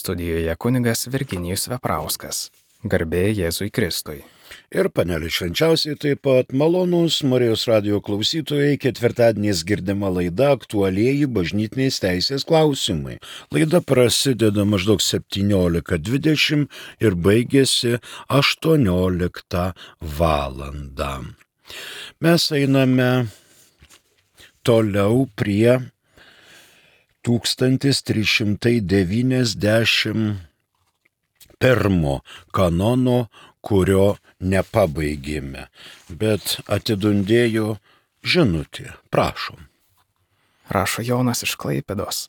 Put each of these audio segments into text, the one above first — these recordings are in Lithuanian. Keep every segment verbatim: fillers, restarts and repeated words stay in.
Studijoje kunigas Virginijus Veprauskas. Garbė Jėzui Kristui. Ir panelė švenčiausiai taip pat malonūs Marijos radijo klausytojai, ketvirtadieniais girdima laida Aktualieji bažnytinės teisės klausimai. Laida prasideda maždaug septyniolika dvidešimt ir baigėsi aštuonioliktą valandą. Mes einame toliau prie tūkstantis trys šimtai devyniasdešimt pirmo kanono, kurio nepabaigėme, bet atidundėjo žinutė. Prašom. Rašo Jonas iš Klaipėdos.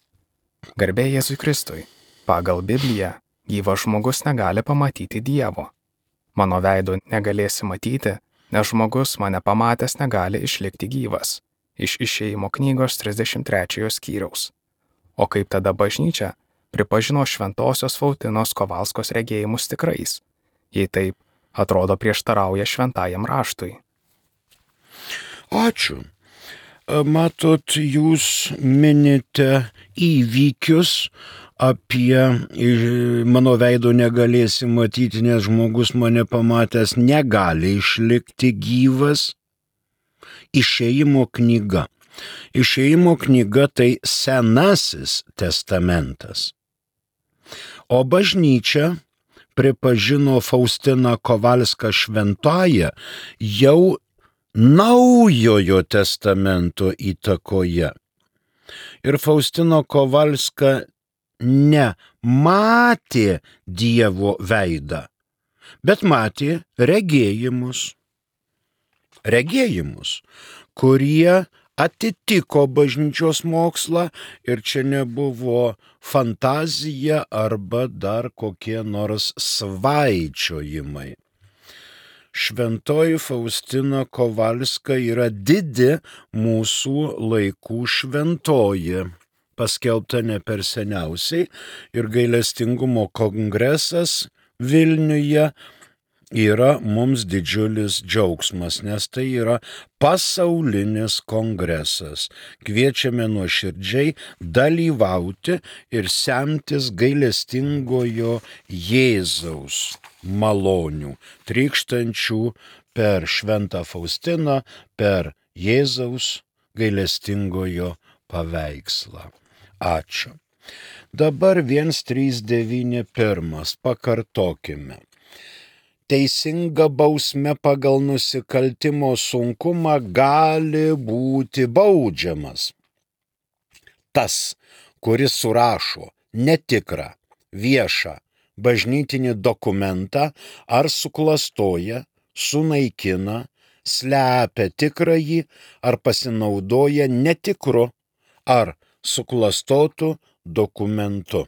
Garbė Jėzui Kristui. Pagal Bibliją gyvas žmogus negali pamatyti Dievo. Mano veido negalėsi matyti, nes žmogus mane pamatęs negali išlikti gyvas. Iš Išėjimo knygos trisdešimt trečiojo skyriaus. O kaip tada bažnyčia pripažino Šventosios Fautinos Kovalskos regėjimus tikrais? Jei taip, atrodo prieštarauja šventajam raštui. Ačiū. Matot, jūs minite įvykius apie mano veido negalėsi matyti, nes žmogus mane pamatęs negali išlikti gyvas. Išėjimo knyga. Išėjimo knyga tai Senasis testamentas. O bažnyčia pripažino Faustiną Kovalską šventąją jau Naujojo testamento įtakoje. Ir Faustina Kovalska nematė Dievo veidą, bet matė regėjimus. Regėjimus, kurie atitiko bažnyčios mokslą ir čia nebuvo fantazija arba dar kokie nors svaičiojimai. Šventoji Faustina Kovalska yra didi mūsų laikų šventoji, paskelbta ne per seniausiai, ir gailestingumo kongresas Vilniuje yra mums didžiulis džiaugsmas, nes tai yra pasaulinis kongresas. Kviečiame nuoširdžiai dalyvauti ir semtis gailestingojo Jėzaus malonių, trykštančių per Šventą Faustiną, per Jėzaus gailestingojo paveikslą. Ačiū. Dabar vienas trys devyni pirmas. Pakartokime. Teisinga bausmė pagal nusikaltimo sunkumą gali būti baudžiamas tas, kuris surašo netikrą, viešą bažnytinį dokumentą ar suklastoja, sunaikina, slepia tikrąjį ar pasinaudoja netikru ar suklastotu dokumentu.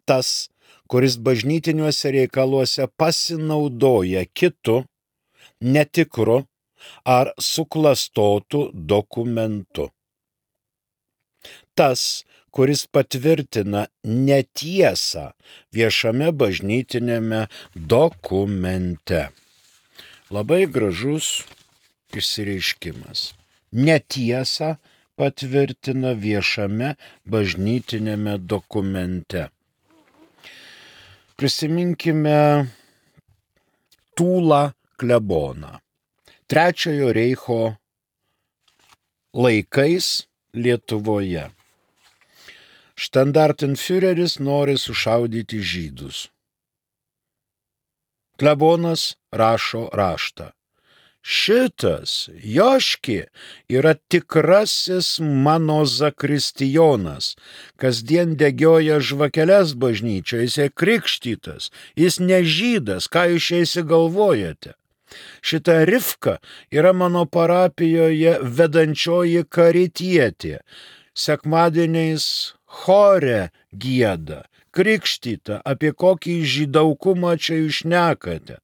Tas, kuris bažnytiniuose reikaluose pasinaudoja kitu, netikru ar suklastotu dokumentu. Tas, kuris patvirtina netiesą viešame bažnytinėme dokumente. Labai gražus išsireiškimas. Netiesą patvirtina viešame bažnytinėme dokumente. Prisiminkime Tūlą kleboną. Trečiojo reicho laikais Lietuvoje. Štandartenfiureris nori sušaudyti žydus. Klebonas rašo raštą. Šitas Joški yra tikrasis mano zakristijonas, kasdien degioja žvakeles bažnyčioje, jis krikštytas, jis ne žydas, ką jūs čia įsigalvojate. Šita Rivka yra mano parapijoje vedančioji karitietė, sekmadieniais chore gieda, krikštyta, apie kokį žydaukumą čia jūs šnekate.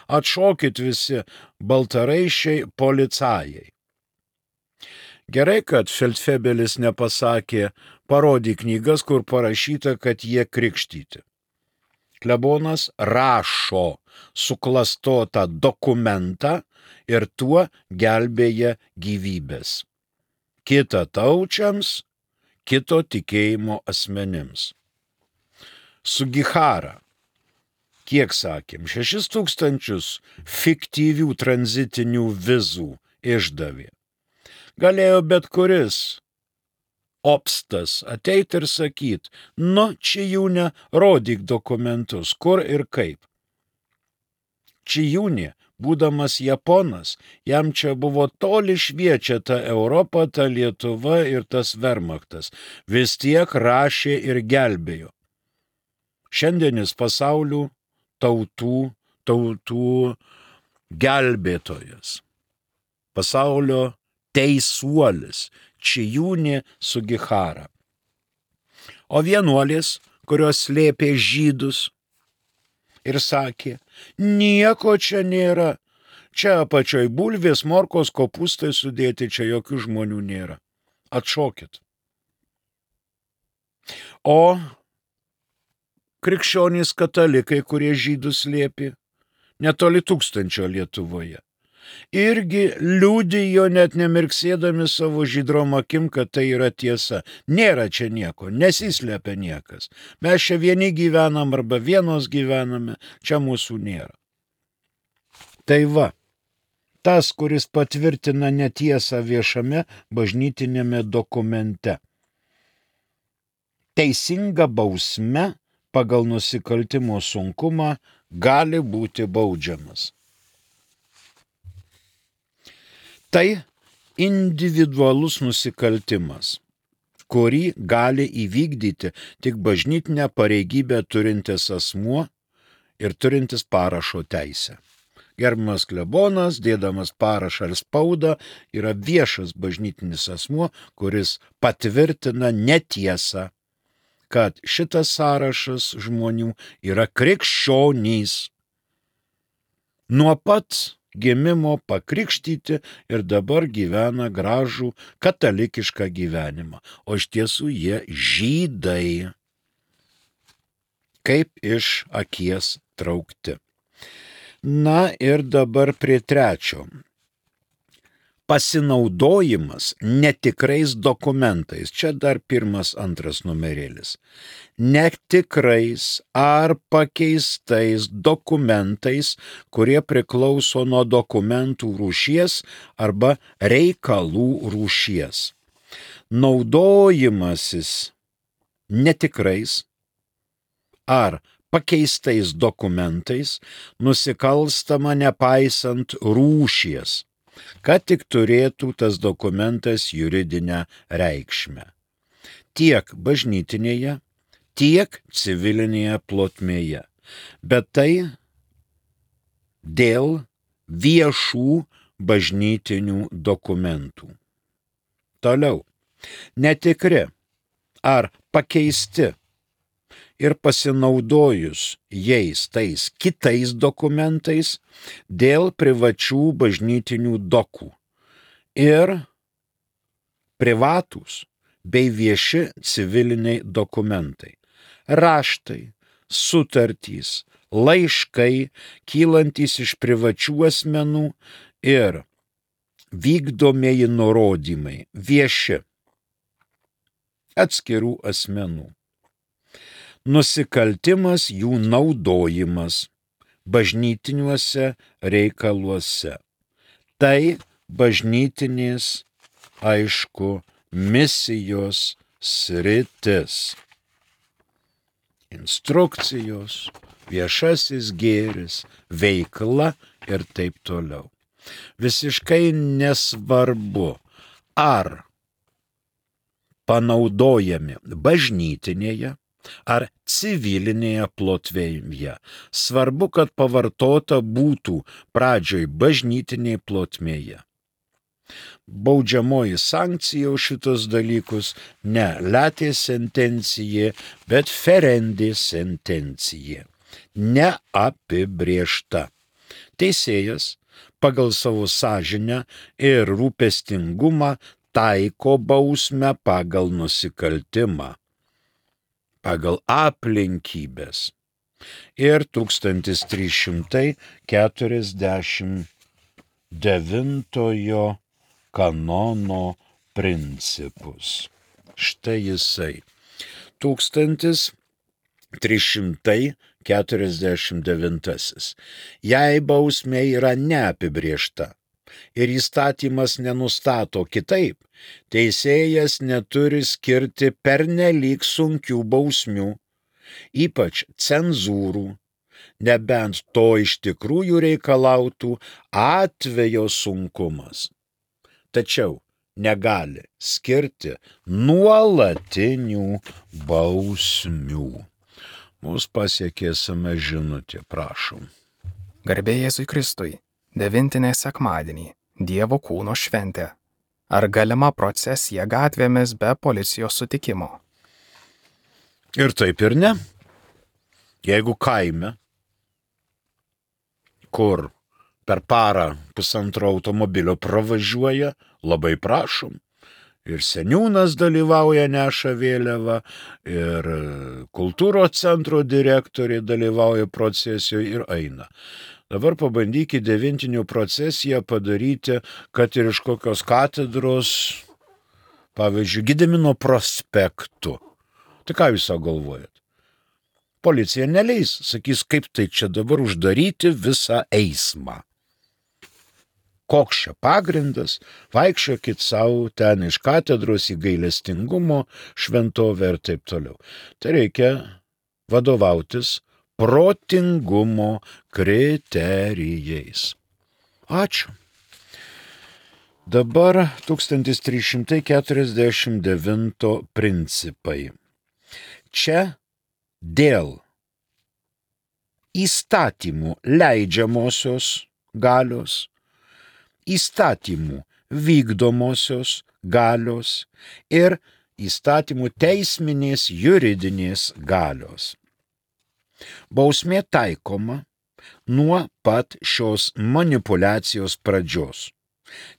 Atšokit visi baltaraiščiai policajai. Gerai, kad Feldfebelis nepasakė, parodyk knygas, kur parašyta, kad jie krikštyti. Klebonas rašo suklastotą dokumentą ir tuo gelbėja gyvybės. Kita taučiams, kito tikėjimo asmenims. Sugihara. Kiek sakėm, šešis tūkstančius fiktyvių tranzitinių vizų išdavė. Galėjo bet kuris obstas ateit ir sakyt, nu, Čijūne, rodyk dokumentus, kur ir kaip. Čijūnė, būdamas Japonas, jam čia buvo toli šviečia ta Europa, ta Lietuva ir tas Wehrmachtas. Vis tiek rašė ir gelbėjo. Šiandienis pasaulių tautų, tautų gelbėtojas. Pasaulio teisuolis. Čijūnė Sugihara. O vienuolės, kurios slėpė žydus ir sakė, nieko čia nėra, čia apačioj bulvės, morkos, kopūstai sudėti, čia jokių žmonių nėra. Atšokit. O krikščionys katalikai, kurie žydus slėpė, netoli tūkstančio Lietuvoje, irgi liudijo net nemirksėdami savo žydrom akim, kad tai yra tiesa. Nėra čia nieko, nesislepia niekas. Mes čia vieni gyvenam arba vienos gyvename, čia mūsų nėra. Tai va, tas, kuris patvirtina netiesą viešame bažnytinėme dokumente. Teisinga bausme pagal nusikaltimo sunkumą gali būti baudžiamas. Tai individualus nusikaltimas, kurį gali įvykdyti tik bažnytinę pareigybę turintis asmuo ir turintis parašo teisę. Gerbiamas klebonas, dėdamas parašą ar spaudą, yra viešas bažnytinis asmuo, kuris patvirtina netiesą, kad šitas sąrašas žmonių yra krikščionys. Nuo pat gimimo pakrikštyti ir dabar gyvena gražų katalikišką gyvenimą, o iš tiesų jie žydai, kaip iš akies traukti. Na ir dabar prie trečio. Pasinaudojimas netikrais dokumentais. Čia dar pirmas, antras numerėlis. Netikrais ar pakeistais dokumentais, kurie priklauso nuo dokumentų rūšies arba reikalų rūšies. Naudojimasis netikrais ar pakeistais dokumentais nusikalstama nepaisant rūšies, kad tik turėtų tas dokumentas juridinę reikšmę. Tiek bažnytinėje, tiek civilinėje plotmėje. Bet tai dėl viešų bažnytinių dokumentų. Toliau. Netikri ar pakeisti ir pasinaudojus jais tais kitais dokumentais dėl privačių bažnytinių dokų ir privatūs bei vieši civiliniai dokumentai, raštai, sutartys, laiškai, kylantys iš privačių asmenų ir vykdomieji nurodymai, vieši atskirų asmenų. Nusikaltimas jų naudojimas bažnytiniuose reikaluose. Tai bažnytinės, aišku, misijos sritis. Instrukcijos, viešasis gėris, veikla ir taip toliau. Visiškai nesvarbu, ar panaudojami bažnytinėje ar civilinėje plotmėje. Svarbu, kad pavartota būtų pradžioj bažnytinėje plotmėje. Baudžiamoji sankcija už šitos dalykus ne latė sentencija, bet ferendė sentencija. Neapibrėžta. Teisėjas pagal savo sąžinę ir rūpestingumą taiko bausmę pagal nusikaltimą, pagal aplinkybės. Ir tūkstantis trys šimtai keturiasdešimt devintojo kanono principus. Štai jisai. Tūkstantis trys šimtai keturiasdešimt devintasis. Jei bausmė yra neapibrėžta ir įstatymas nenustato kitaip, teisėjas neturi skirti pernelyg sunkių bausmių, ypač cenzūrų, nebent to iš tikrųjų reikalautų atvejo sunkumas. Tačiau negali skirti nuolatinių bausmių. Mūsų pasiekėsime žinutė, prašom. Garbė Jėzui Kristui, devintinė sekmadienį, Dievo kūno šventė. Ar galima procesija gatvėmis be policijos sutikimo? Ir taip ir ne. Jeigu kaime, kur per parą pusantro automobilio pravažiuoja, labai prašom. Ir seniūnas dalyvauja, neša vėliavą, ir kultūros centro direktoriai dalyvauja procesijoje ir eina. Dabar pabandykite devintinių procesiją padaryti, kad ir iš kokios katedros, pavyzdžiui, Gedimino prospektu. Tai ką jūs galvojat? Policija neleis, sakys, kaip tai čia dabar uždaryti visą eismą. Koks čia pagrindas, vaikščiokit savo ten iš katedros į gailestingumo šventovę ir taip toliau. Tai reikia vadovautis protingumo kriterijais. Ačiū. Dabar tūkstantis trys šimtai keturiasdešimt devinto principai. Čia dėl įstatymų leidžiamosios galios, įstatymų vykdomosios galios ir įstatymų teisminės juridinės galios. Bausmė taikoma nuo pat šios manipuliacijos pradžios,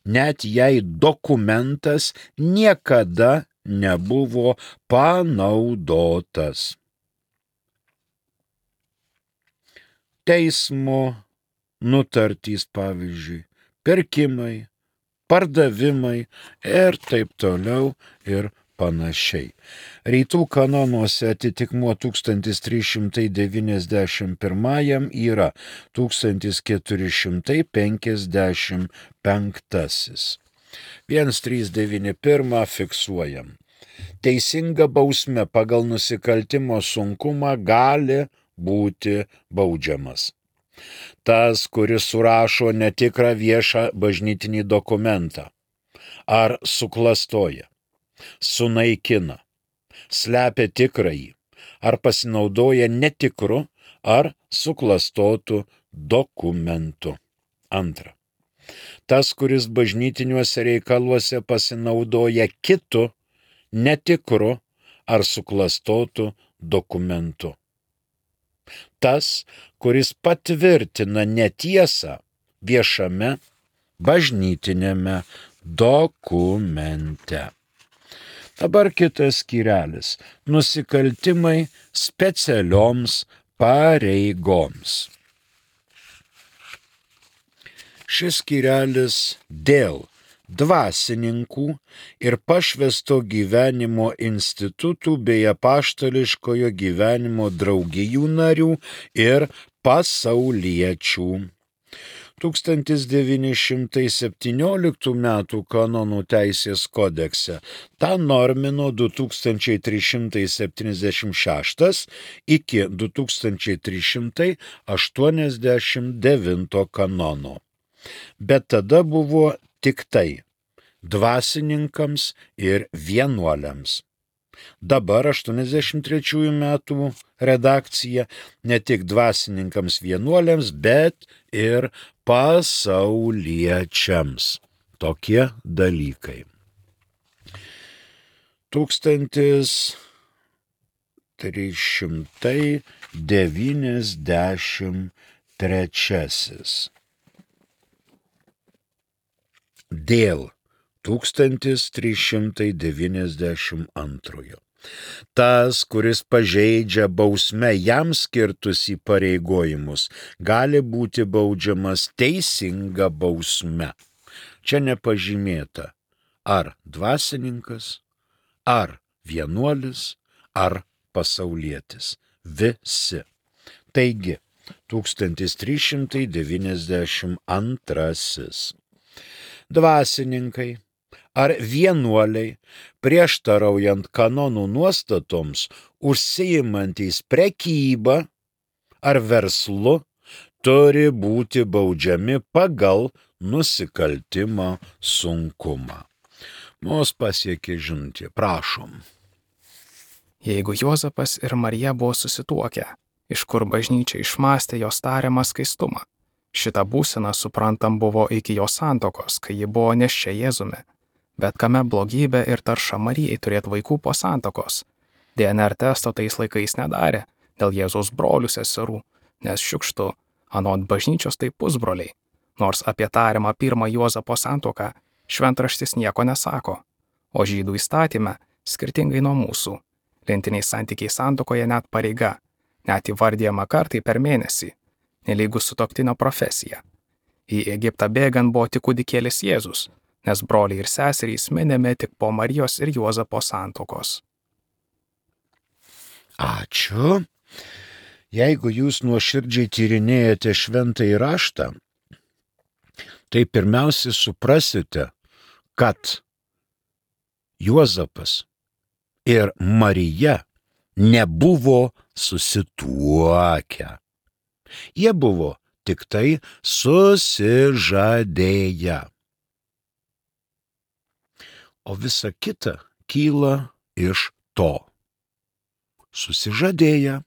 net jei dokumentas niekada nebuvo panaudotas. Teismo nutartys, pavyzdžiui, pirkimai, pardavimai ir taip toliau ir panašiai. Rytų kanonuose atitikmuo tūkstantis trys šimtai devyniasdešimt pirmajam yra tūkstantis keturi šimtai penkiasdešimt penktasis. vienas trys devyni pirmą fiksuojam. Teisinga bausmė pagal nusikaltimo sunkumą gali būti baudžiamas. Tas, kuris surašo netikrą viešą bažnytinį dokumentą, ar suklastoja, sunaikina, slepia tikrąjį, ar pasinaudoja netikru ar suklastotu dokumentu. Antra. Tas, kuris bažnytiniuose reikaluose pasinaudoja kitu, netikru ar suklastotu dokumentu. Tas, kuris patvirtina netiesą viešame bažnytinėme dokumente. Dabar kitas skyrelis – nusikaltimai specialioms pareigoms. Šis skyrelis dėl dvasininkų ir pašvęsto gyvenimo institutų bei apaštališkojo gyvenimo draugijų narių ir pasauliečių. tūkstantis devyni šimtai septynioliktų metų kanonų teisės kodekse tą normino du tūkstančiai trys šimtai septyniasdešimt šeštas iki du tūkstančiai trys šimtai aštuoniasdešimt devinto kanono. Bet tada buvo tik tai dvasininkams ir vienuoliams. Dabar aštuoniasdešimt trečiųjų metų redakcija ne tik dvasininkams vienuoliams, bet ir pasauliečiams. Tokie dalykai. tūkstantis trys šimtai devyniasdešimt trečiasis. Dėl tūkstantis trys šimtai devyniasdešimt antrojo. Tas, kuris pažeidžia bausme jam skirtus įpareigojimus, gali būti baudžiamas teisinga bausme. Čia nepažymėta, ar dvasininkas, ar vienuolis, ar pasaulietis. visi. Taigi, tūkstantis trys šimtai devyniasdešimt antrasis. Dvasininkai ar vienuoliai, prieštaraujant kanonų nuostatoms, užsiimantys prekybą ar verslu, turi būti baudžiami pagal nusikaltimo sunkumą. Mus pasiekė žinutė, prašom. Jeigu Juozapas ir Marija buvo susituokę, iš kur bažnyčia išmąstė jos tariamą skaistumą, šitą būseną suprantam buvo iki jos santokos, kai ji buvo neščia Jėzumi. Bet kame blogybė ir tarša Marijai turėti vaikų po santokos? D N R testo tais laikais nedarė dėl Jėzaus brolių seserų, nes šiukštu, anot bažnyčios tai pusbroliai, nors apie tariamą pirmą Juozapo santuoką šventraštis nieko nesako, o žydų įstatyme, skirtingai nuo mūsų, lentiniai santykiai santuokoje net pareiga, net įvardyjama kartai per mėnesį, nelygus sutuoktinio profesija. Į Egiptą bėgant buvo tik kūdikėlis Jėzus, nes broliai ir seserys minimi tik po Marijos ir Juozapo santuokos. Ačiū. Jeigu jūs nuoširdžiai tyrinėjate šventąjį raštą, tai pirmiausia suprasite, kad Juozapas ir Marija nebuvo susituokę. Jie buvo tik tai susižadėję. O visa kita kyla iš to. Susižadėję,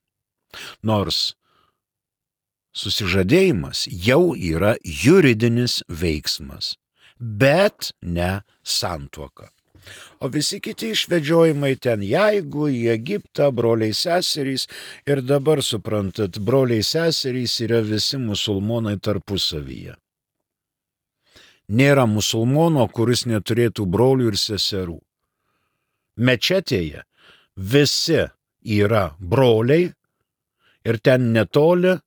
nors susižadėjimas jau yra juridinis veiksmas, bet ne santuoka. O visi kiti išvedžiojimai ten, jeigu į Egiptą, broliai seserys, ir dabar suprantat, broliai seserys yra visi musulmonai tarpusavyje. Nėra musulmono, kuris neturėtų brolių ir seserų. Mečetėje visi yra broliai ir ten netoli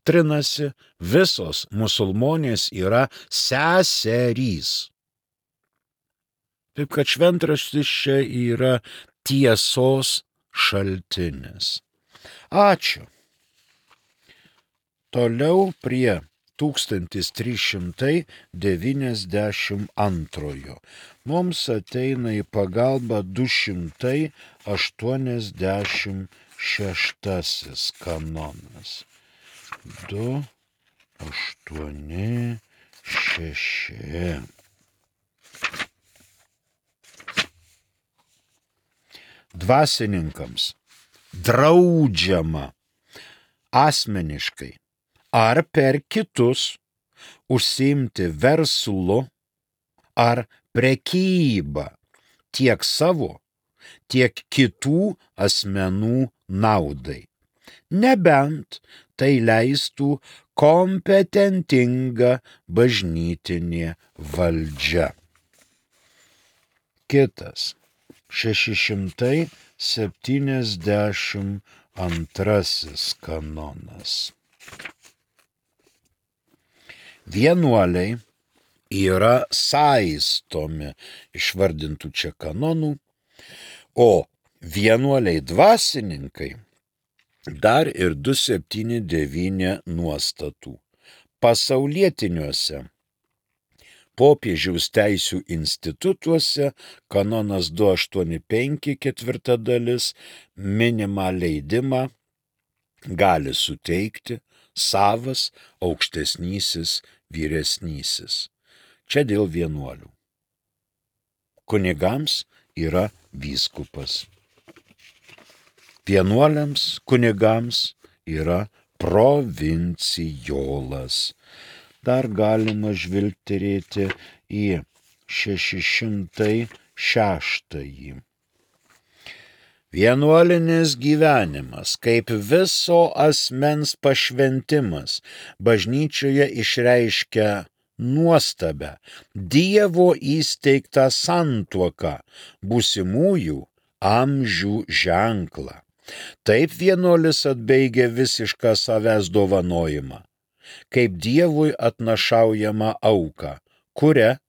trinasi visos musulmonės yra seserys. Taip kad šventraštis čia yra tiesos šaltinis. Ačiū. Toliau prie tūkstantis trys šimtai devyniasdešimt antrojo. Mums ateina į pagalbą du šimtai aštuoniasdešimt šeštasis kanonas. du, aštuoni, šeši. Dvasininkams draudžiama asmeniškai ar per kitus užsiimti verslu ar prekybą tiek savo, tiek kitų asmenų naudai, nebent tai leistų kompetentinga bažnytinė valdžia. Kitas. šeši šimtai septyniasdešimt antrasis kanonas. Vienuoliai yra saistomi išvardintų čia kanonų, o vienuoliai dvasininkai dar ir du septyni devyni nuostatų. Pasaulietiniuose popiežiaus teisių institutuose kanonas du aštuoni penki ketvirta dalis minimą leidimą gali suteikti savas aukštesnysis vyresnysis. Čia dėl vienuolių. Kunigams yra vyskupas. Vienuoliams kunigams yra provincijolas. Dar galima žvilgterėti į šeši šimtai šeštąjį. Vienuolinis gyvenimas, kaip viso asmens pašventimas, bažnyčioje išreiškia nuostabę Dievo įsteigtą santuoką, būsimųjų amžių ženklą. Taip vienuolis atbaigia visišką savęs dovanojimą, kaip Dievui atnašaujama auka, kuria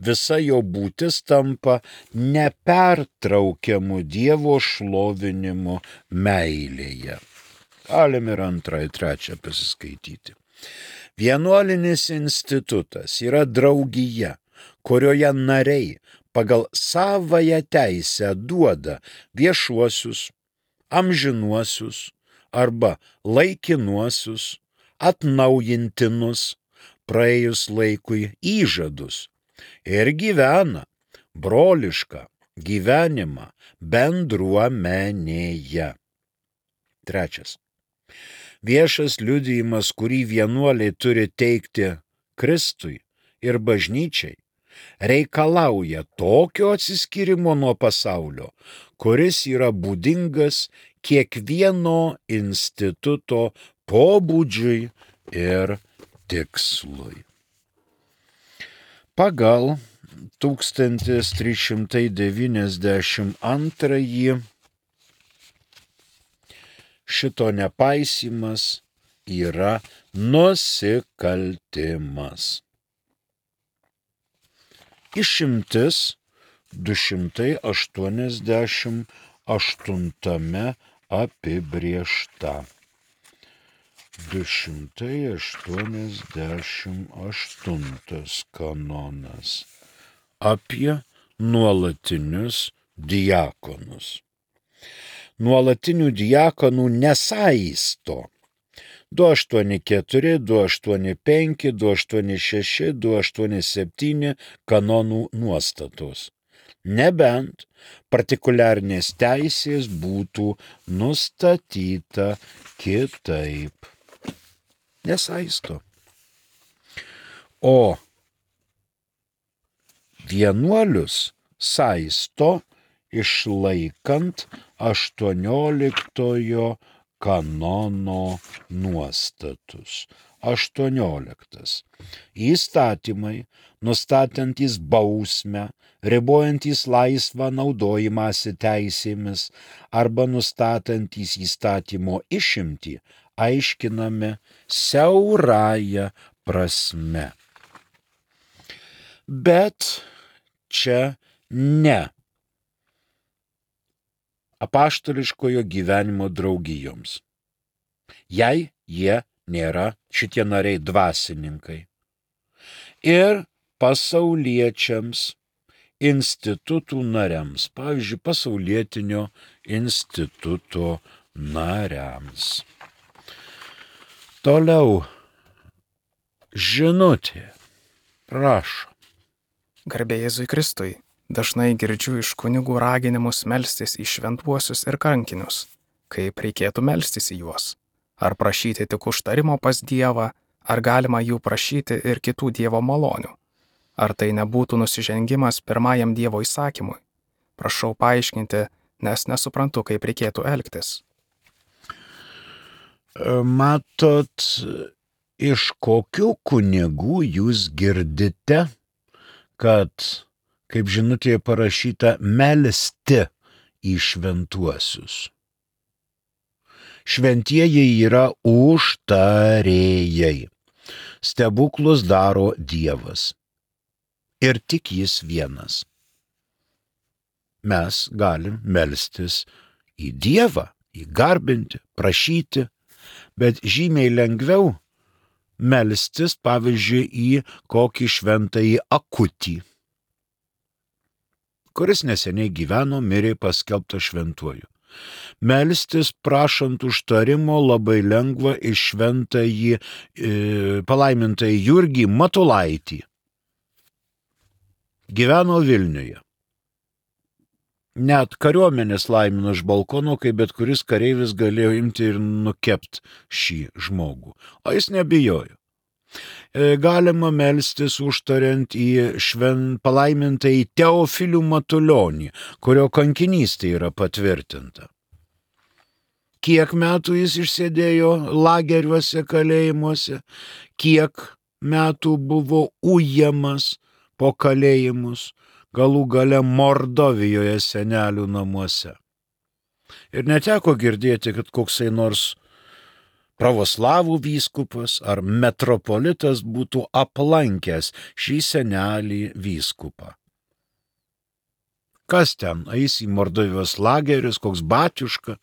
visa jo būtis tampa nepertraukiamu Dievo šlovinimu meilėje. Galim ir antrą, ir trečią pasiskaityti. Vienuolinis institutas yra draugija, kurioje nariai pagal savąją teisę duoda viešuosius, amžinuosius arba laikinuosius, atnaujintinus praėjus laikui įžadus ir gyvena brolišką gyvenimą bendruomenėje. Trečias. Viešas liudijimas, kurį vienuoliai turi teikti Kristui ir bažnyčiai, reikalauja tokio atsiskyrimo nuo pasaulio, kuris yra būdingas kiekvieno instituto pobūdžiui ir tikslui. Pagal tūkstantis trys šimtai devyniasdešimt antrąjį šito nepaisymas yra nusikaltimas. Išimtis du šimtai aštuoniasdešimt aštuntame apibrėžta. du šimtai aštuoniasdešimt aštuntas kanonas apie nuolatinius diakonus. Nuolatinių diakonų nesaisto du aštuoni keturi, du aštuoni penki, du aštuoni šeši, du aštuoni septyni kanonų nuostatos, nebent partikuliarnės teisės būtų nustatyta kitaip. Nesaisto. O vienuolius saisto išlaikant aštuonioliktojo kanono nuostatus. aštuonioliktas. Įstatymai, nustatantys bausmę, ribojantys laisvą naudojimąsi teisėmis arba nustatantys įstatymo išimtį, aiškinami siaurąja prasme. Bet čia ne apaštališkojo gyvenimo draugijoms. Jei jie nėra šitie nariai dvasininkai. Ir pasauliečiams, institutų nariams, pavyzdžiui, pasaulietinio instituto nariams. Toliau žinutė. Prašom. Garbė Jėzui Kristui, dažnai girdžiu iš kunigų raginimus melstis į šventuosius ir kankinius, kaip reikėtų melstis į juos. Ar prašyti tik užtarimo pas Dievą, ar galima jų prašyti ir kitų Dievo malonių? Ar tai nebūtų nusižengimas pirmajam Dievo įsakymui? Prašau paaiškinti, nes nesuprantu, kaip reikėtų elgtis. Matot, iš kokių kunigų jūs girdite, kad, kaip žinutėje parašyta, melsti į šventuosius? Šventieji yra užtarėjai. Stebuklus daro Dievas. Ir tik jis vienas. Mes galim melstis į Dievą, įgarbinti, prašyti, bet žymiai lengviau melstis, pavyzdžiui, į kokį šventąjį Akutį, kuris neseniai gyveno, mirė paskelbtas šventuoju. Melstis prašant užtarimo labai lengva iš šventąjį e, palaimintąjį Jurgį Matulaitį. Gyveno Vilniuje. Net kariuomenės laimino iš balkono, kai bet kuris kareivis galėjo imti ir nukepti šį žmogų. O jis nebijojo. E, galima melstis užtariant į šven palaimintąjį Teofilių Matulionį, kurio kankinystė yra patvirtinta. Kiek metų jis išsėdėjo lageriuose, kalėjimuose, kiek metų buvo ujamas po kalėjimus, galų gale Mordovijoje senelių namuose. Ir neteko girdėti, kad koksai nors pravoslavų vyskupas ar metropolitas būtų aplankęs šį senelį vyskupą. Kas ten eis į Mordovijos lagerius, koks batiuška,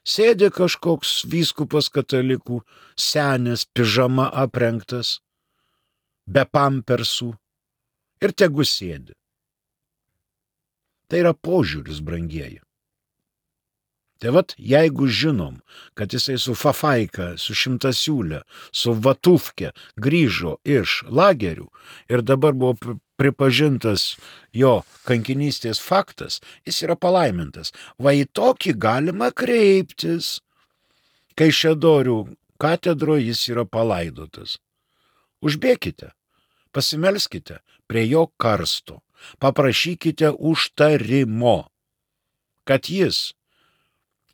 Sėdi kažkoks vyskupas katalikų, senis, pižama aprengtas, be pampersų ir tegu sėdi. Tai yra požiūris, brangieji. Tai vat, jeigu žinom, kad jisai su fafaika, su šimtasiūlė, su vatufke grįžo iš lagerių ir dabar buvo pripažintas jo kankinystės faktas, jis yra palaimintas. Va į tokį galima kreiptis, kai Šedorių katedroje jis yra palaidotas. Užbėkite, pasimelskite prie jo karsto, paprašykite užtarimo, kad jis,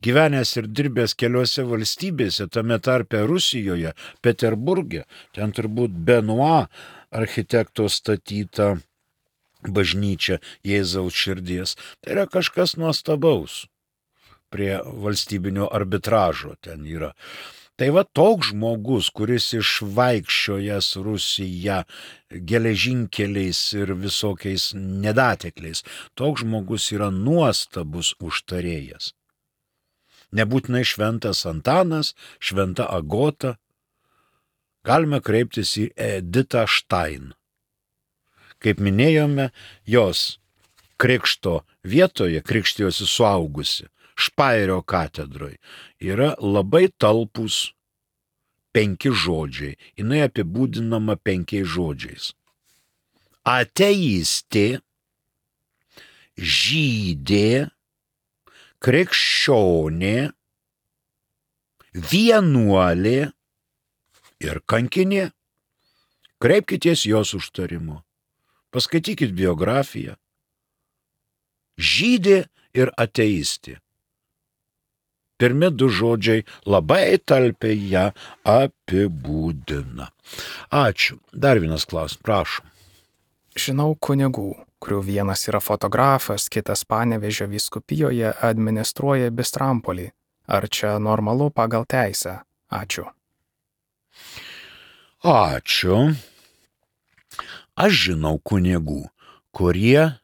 gyvenęs ir dirbęs keliose valstybėse, tame tarpe Rusijoje, Peterburge, ten turbūt Benoit architekto statyta bažnyčia Jėzaus širdies, tai yra kažkas nuostabaus prie valstybinio arbitražo ten yra. Tai va toks žmogus, kuris išvaikščiojęs Rusiją geležinkeliais ir visokiais nedatekliais, toks žmogus yra nuostabus užtarėjas. Nebūtinai šventas Antanas, šventa Agota. Galime kreiptis į Editą Štain. Kaip minėjome, jos krikšto vietoje, krikštijosi suaugusi, Špairio katedroje, yra labai talpus penki žodžiai. Jinai apibūdinama penkiais žodžiais. Ateistė, žydė, krikščionė, vienuolė ir kankinė. Kreipkitės jos užtarimo. Paskaitykit biografiją. Žydė ir ateistė. Pirmi du žodžiai labai talpiai ją apibūdina. Ačiū. Dar vienas klausimas, prašom. Žinau kunigų, kurių vienas yra fotografas, kitas Panevėžio vyskupijoje administruoja Bistrampolį. Ar čia normalu pagal teisę? Ačiū. Ačiū. Aš žinau kunigų, kurie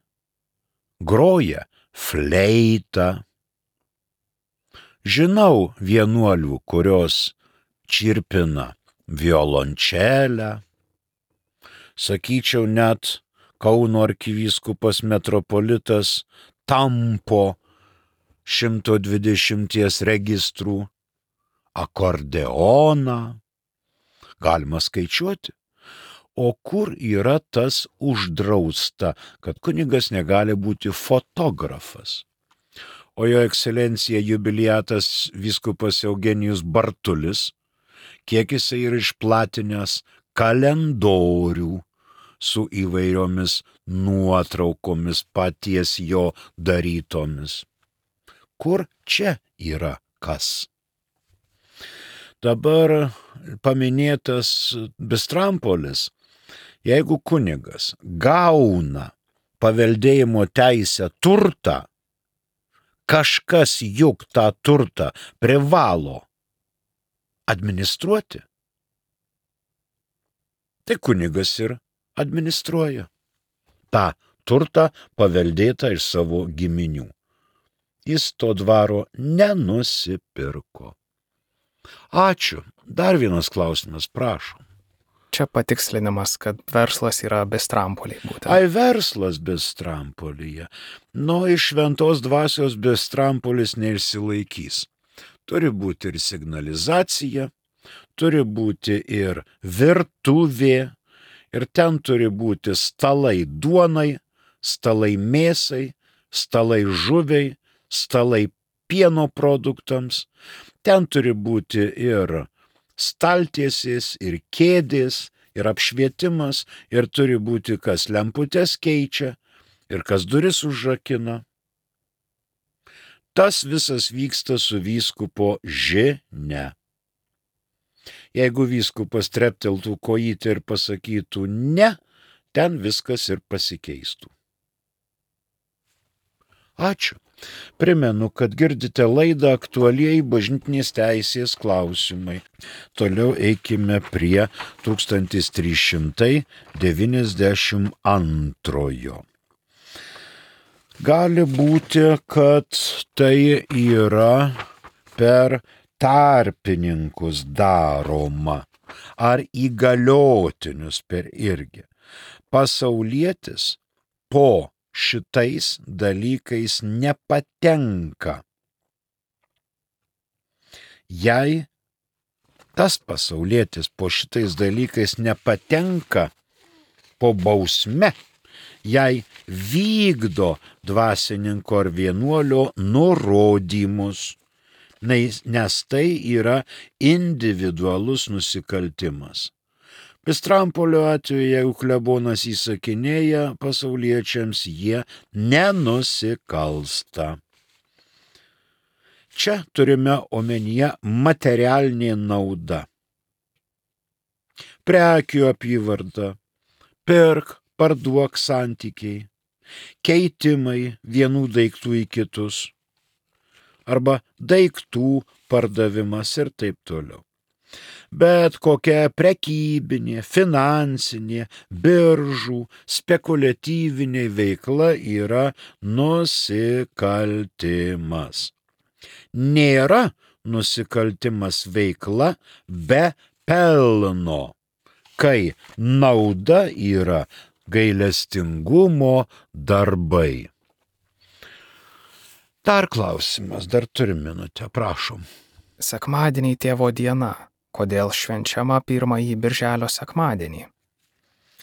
groja fleitą. Žinau vienuolių, kurios čirpina violončelę. Sakyčiau, net Kauno arkivyskupas metropolitas tampo šimto dvidešimties registrų akordeoną. Galima skaičiuoti. O kur yra tas uždrausta, kad kunigas negali būti fotografas? O jo ekscelencija jubiliatas vyskupas Eugenijus Bartulis, kiek jisai yra išplatinęs kalendorių su įvairiomis nuotraukomis paties jo darytomis. Kur čia yra kas? Dabar paminėtas Bistrampolis, jeigu kunigas gauna paveldėjimo teisę turtą, kažkas juk tą turtą privalo administruoti. Tai kunigas ir administruoja tą turtą paveldėtą iš savo giminių. Jis to dvaro nenusipirko. Ačiū. Dar vienas klausimas, prašom. Čia patikslinimas, kad verslas yra Bistrampolyje būtent. Ai, verslas Bistrampolyje. Nu, iš šventos dvasios Bistrampolis neišsilaikys. Turi būti ir signalizacija, turi būti ir virtuvė, ir ten turi būti stalai duonai, stalai mėsai, stalai žuviai, stalai pieno produktams. Ten turi būti ir staltiesės, ir kėdės, ir apšvietimas, ir turi būti kas lemputes keičia, ir kas duris užrakina. Tas visas vyksta su vyskupo žinia. Jeigu vyskupas trepteltų kojytę ir pasakytų ne, ten viskas ir pasikeistų. Ačiū. Primenu, kad girdite laidą aktualieji bažnytinės teisės klausimai. Toliau eikime prie tūkstantis trys šimtai devyniasdešimt antrojo. Gali būti, kad tai yra per tarpininkus daroma, ar įgaliotinius per irgi. Pasaulietis po šitais dalykais nepatenka. Jei tas pasaulietis po šitais dalykais nepatenka po bausme, jei vykdo dvasininko ar vienuolio nurodymus, nes tai yra individualus nusikaltimas. Pistrampolio atveju, jeigu klebonas įsakinėja pasauliečiams, jie nenusikalsta. Čia turime omenyje materialinė nauda. Prekių apyvarta, pirk, parduok santykiai, keitimai vienų daiktų į kitus, arba daiktų pardavimas ir taip toliau. Bet kokia prekybinė, finansinė, biržų, spekuliatyvinė veikla yra nusikaltimas. Nėra nusikaltimas veikla be pelno, kai nauda yra gailestingumo darbai. Dar klausimas, dar turim minutę, prašom. Sekmadieniai Tėvo diena. Kodėl švenčiama pirmąjį birželio sekmadienį?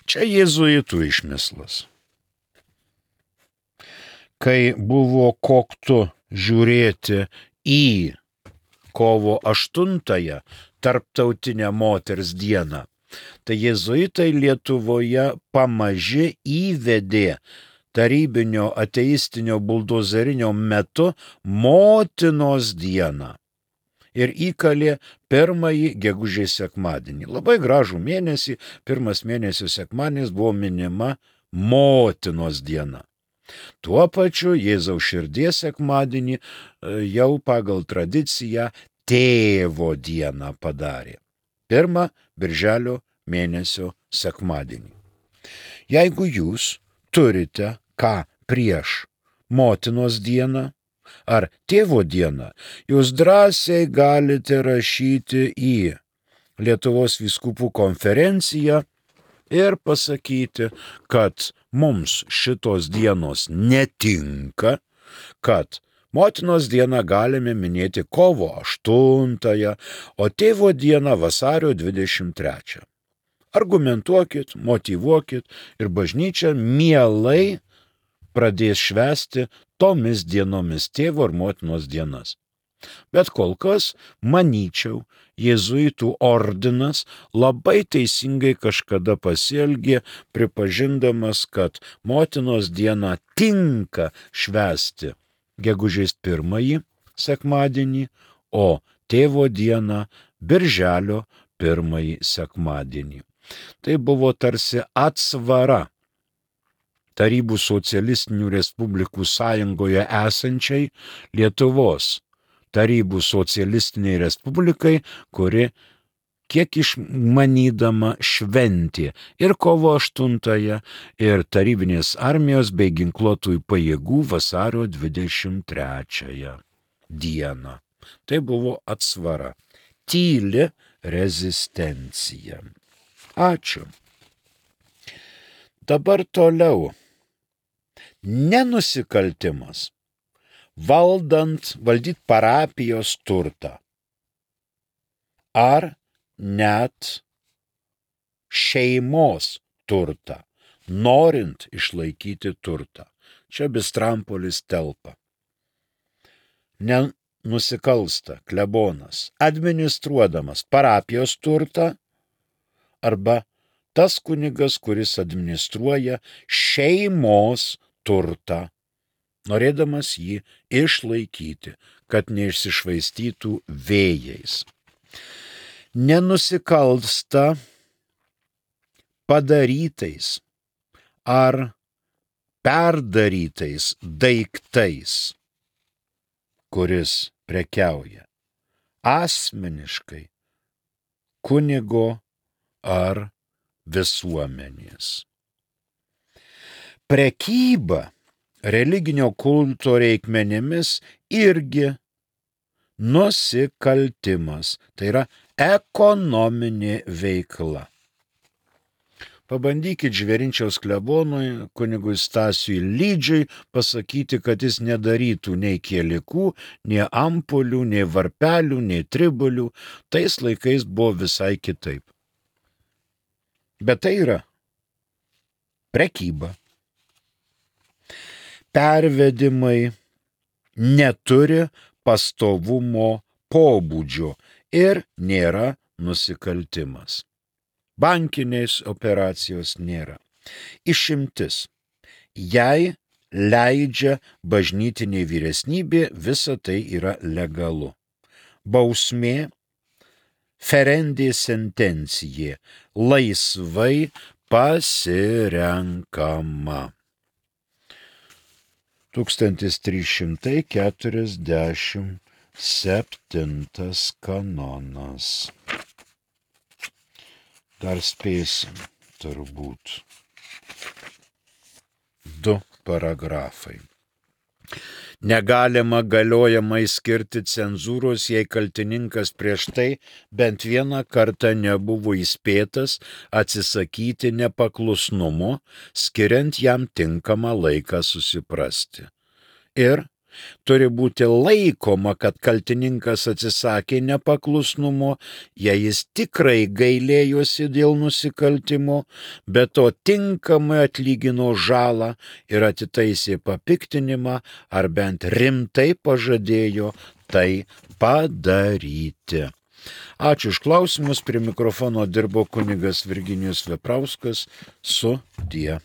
Čia jėzuitų išmislas. Kai buvo koktu žiūrėti į kovo aštuntąją tarptautinę moters dieną, tai jėzuitai Lietuvoje pamaži įvedė tarybinio ateistinio buldozerinio metu motinos dieną ir įkalė pirmąjį gegužės sekmadienį. Labai gražų mėnesį, pirmas mėnesio sekmadienis buvo minima motinos diena. Tuo pačiu Jėzaus širdies sekmadienį jau pagal tradiciją tėvo dieną padarė. Pirmą birželio mėnesio sekmadienį. Jeigu jūs turite ką prieš motinos dieną ar tėvo dieną, jūs drąsiai galite rašyti į Lietuvos vyskupų konferenciją ir pasakyti, kad mums šitos dienos netinka, kad motinos dieną galime minėti kovo aštuntąją, o tėvo dieną vasario dvidešimt trečią. Argumentuokit, motyvuokit ir bažnyčia mielai pradės švęsti tomis dienomis tėvo ir motinos dienas. Bet kol kas, manyčiau, jėzuitų ordinas labai teisingai kažkada pasielgė, pripažindamas, kad motinos dieną tinka švęsti gegužės pirmąjį sekmadienį, o tėvo dieną birželio pirmąjį sekmadienį. Tai buvo tarsi atsvara Tarybų socialistinių respublikų sąjungoje esančiai Lietuvos Tarybų socialistiniai respublikai, kuri kiek išmanydama šventė ir kovo aštuntąją, ir tarybinės armijos bei ginkluotųjų pajėgų vasario dvidešimt trečiąją dieną. Tai buvo atsvara. Tyli rezistencija. Ačiū. Dabar toliau. Nenusikaltimas. Valdant, valdyt parapijos turtą. Ar net šeimos turtą, norint išlaikyti turtą. Čia Bistrampolis telpa. Nenusikalsta klebonas, administruodamas parapijos turtą, arba tas kunigas, kuris administruoja šeimos turtą, norėdamas jį išlaikyti, kad neišsišvaistytų vėjais. Nenusikalsta padarytais ar perdarytais daiktais, kuris prekiauja asmeniškai kunigo ar visuomenės. Prekyba religinio kulto reikmenimis irgi nusikaltimas, tai yra ekonominė veikla. Pabandykit Žvėrinčiaus klebonui, kunigui Stasiui Lydžiui pasakyti, kad jis nedarytų nei kielikų, nei ampulių, nei varpelių, nei tribolių. Tais laikais buvo visai kitaip. Bet tai yra prekyba. Pervedimai neturi pastovumo pobūdžio ir nėra nusikaltimas. Bankinės operacijos nėra. Išimtis. Jei leidžia bažnytinė vyresnybė, visa tai yra legalu. Bausmė, ferendė sentencija, laisvai pasirenkama. tūkstantis trys šimtai keturiasdešimt septintas kanonas. Dar spėsim, turbūt. Du paragrafai. Negalima galiojamai skirti cenzūros, jei kaltininkas prieš tai bent vieną kartą nebuvo įspėtas atsisakyti nepaklusnumo, skiriant jam tinkamą laiką susiprasti. Ir turi būti laikoma, kad kaltininkas atsisakė nepaklusnumo, jei jis tikrai gailėjosi dėl nusikaltimo, bet to tinkamai atlygino žalą ir atitaisė papiktinimą, ar bent rimtai pažadėjo tai padaryti. Ačiū už klausimus, prie mikrofono dirbo kunigas Virginijus Veprauskas, sudie.